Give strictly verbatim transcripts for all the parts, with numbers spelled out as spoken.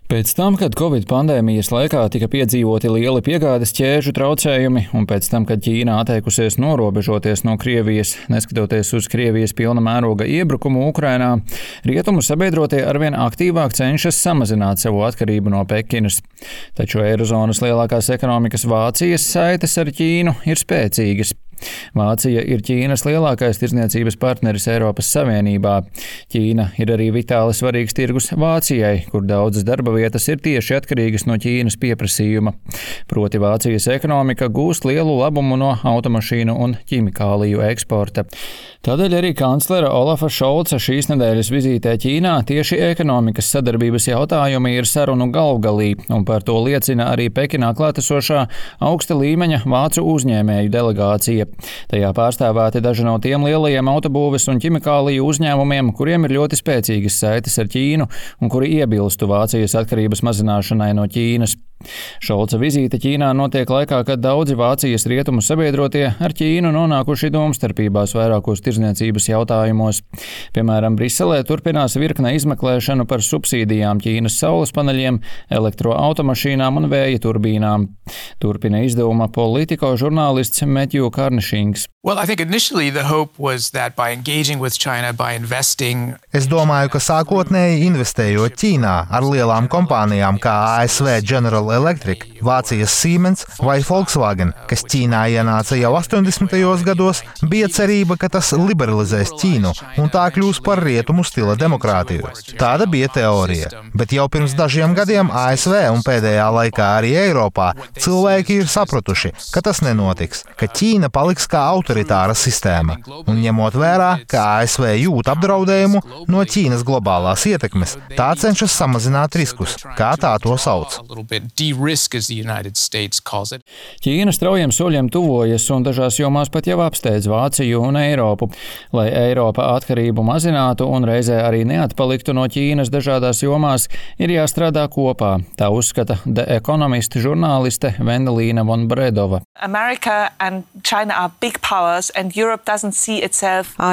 Pēc tam, kad Covid pandēmijas laikā tika piedzīvoti lieli piegādes ķēžu traucējumi, un pēc tam, kad Ķīna atteikusies norobežoties no Krievijas, neskatoties uz Krievijas pilna mēroga iebrukumu Ukrainā, rietumu sabiedrotie arvien aktīvāk cenšas samazināt savu atkarību no Pekinas. Taču eirozonas lielākās ekonomikas Vācijas saites ar Ķīnu ir spēcīgas. Vācija ir Ķīnas lielākais tirdzniecības partneris Eiropas Savienībā. Ķīna ir arī vitāli svarīgs tirgus Vācijai, kur daudzas darba vietas ir tieši atkarīgas no Ķīnas pieprasījuma. Proti Vācijas ekonomika gūst lielu labumu no automašīnu un ķimikāliju eksporta. Tādēļ arī kanclera Olafa Šolca šīs nedēļas vizītē Ķīnā tieši ekonomikas sadarbības jautājumi ir sarunu galvgalī, un par to liecina arī Pekinā klātesošā augsta līmeņa vācu uzņēmēju delegācija. Tajā pārstāvēti daži no tiem lielajiem autobūves un ķimikāliju uzņēmumiem, kuriem ir ļoti spēcīgas saites ar Ķīnu un kuri iebilstu Vācijas atkarības mazināšanai no Ķīnas. Šolca vizīte Ķīnā notiek laikā, kad daudzi Vācijas rietumu sabiedrotie ar Ķīnu nonākuši domstarpībās vairākos tirdzniecības jautājumos. Piemēram, Briselē turpinās virkne izmeklēšanu par subsīdijām Ķīnas saules paneļiem, elektroautomašīnām un vēja turbīnām. Turpina izdevuma Politico žurnālists Matthew Karnišings. Well, I think initially the hope was that by engaging with China, by investing... Es domāju, ka sākotnēji investējot Ķīnā ar lielām kompānijām kā A S V General Electric, Vācijas Siemens vai Volkswagen, kas Ķīnā ienāca jau astoņdesmitajos gados, bija cerība, ka tas liberalizēs Ķīnu un tā kļūs par rietumu stila demokrātiju. Tāda bija teorija. Bet jau pirms dažiem gadiem A S V un pēdējā laikā arī Eiropā cilvēki ir sapratuši, ka tas nenotiks, ka Ķīna paliks kā autoritāra sistēma. Un ņemot vērā, ka A S V jūt apdraudējumu no Ķīnas globālās ietekmes, tā cenšas samazināt riskus, kā tā to sauc. Ķīna straujiem soļiem tuvojas un dažās jomās pat jau apsteidz Vāciju un Eiropu. Lai Eiropa atkarību mazinātu un reizē arī neatpaliktu no Ķīnas dažādās jomās, ir jāstrādā kopā. Tā uzskata The Economist žurnāliste Vendelīna von Bredova. A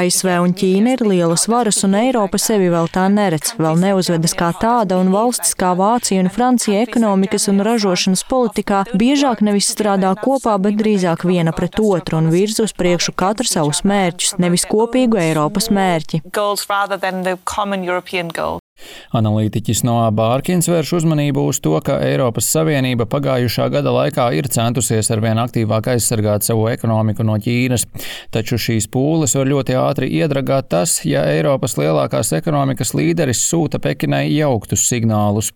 S V un Ķīna ir lielas varas, un Eiropa sevi vēl tā neredz, vēl neuzvedas kā tāda, un valstis kā Vācija un Francija ekonomikas un ražošanas politikā biežāk nevis strādā kopā, bet drīzāk viena pret otru un virz uz priekšu katru savus mērķus, nevis kopīgu Eiropas mērķi. Analītiķis Noah Bārkins vērš uzmanību uz to, ka Eiropas Savienība pagājušā gada laikā ir centusies arvien aktīvāk aizsargāt savu ekonomiku no Ķīnas, taču šīs pūles var ļoti ātri iedragāt tas, ja Eiropas lielākās ekonomikas līderis sūta Pekinai jauktus signālus.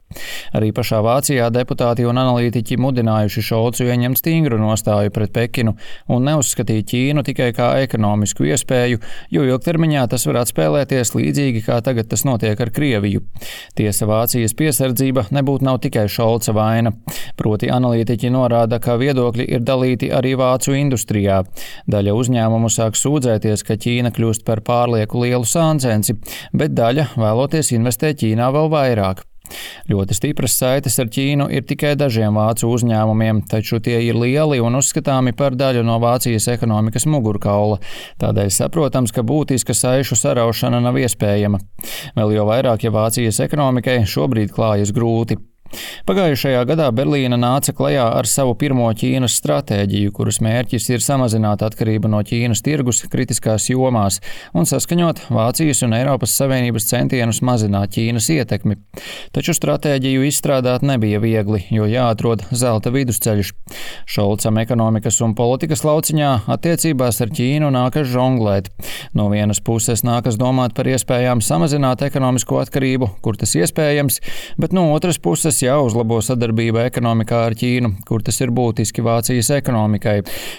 Arī pašā Vācijā deputāti un analītiķi mudinājuši Šolcu ieņemt stingru nostāju pret Pekinu un neuzskatīt Ķīnu tikai kā ekonomisku iespēju, jo ilgtermiņā tas var atspēlēties līdzīgi, kā tagad tas notiek ar Krieviju. Tiesa, Vācijas piesardzība nebūtu nav tikai Šolca vaina. Proti analītiķi norāda, ka viedokļi ir dalīti arī vācu industrijā. Daļa uzņēmumu sāk sūdzēties, ka Ķīna kļūst par pārlieku lielu sāncensi, bet daļa vēloties investēt Ķīnā vēl vairāk. Ļoti stipras saites ar Ķīnu ir tikai dažiem vācu uzņēmumiem, taču tie ir lieli un uzskatāmi par daļu no Vācijas ekonomikas mugurkaula. Tādēļ saprotams, ka būtiska saišu saraušana nav iespējama. Vēl jau vairāk, ja Vācijas ekonomikai šobrīd klājas grūti. Pagājušajā gadā Berlīna nāca klajā ar savu pirmo Ķīnas stratēģiju, kuras mērķis ir samazināt atkarību no Ķīnas tirgus kritiskās jomās un saskaņot Vācijas un Eiropas Savienības centienus mazināt Ķīnas ietekmi. Taču stratēģiju izstrādāt nebija viegli, jo jāatrod zelta vidusceļš. Šolcam ekonomikas un politikas lauciņā attiecībās ar Ķīnu nākas žonglēt. No vienas puses nākas domāt par iespējām samazināt ekonomisko atkarību, kur tas iespējams, bet no otras puses jāuzlabo sadarbība ekonomikā ar Ķīnu, kur tas ir būtiski Vācijas ekonomikai.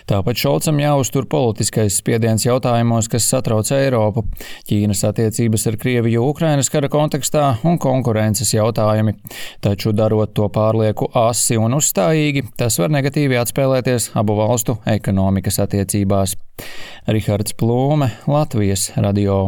Tāpat Šolcam jāuztur politiskais spiediens jautājumos, kas satrauc Eiropu. Ķīnas attiecības ar Krieviju Ukrainas kara kontekstā un konkurences jautājumi. Taču darot to pārlieku asi un uzstājīgi, tas var negatīvi atspēlēties abu valstu ekonomikas attiecībās. Rihards Plūme, Latvijas radio.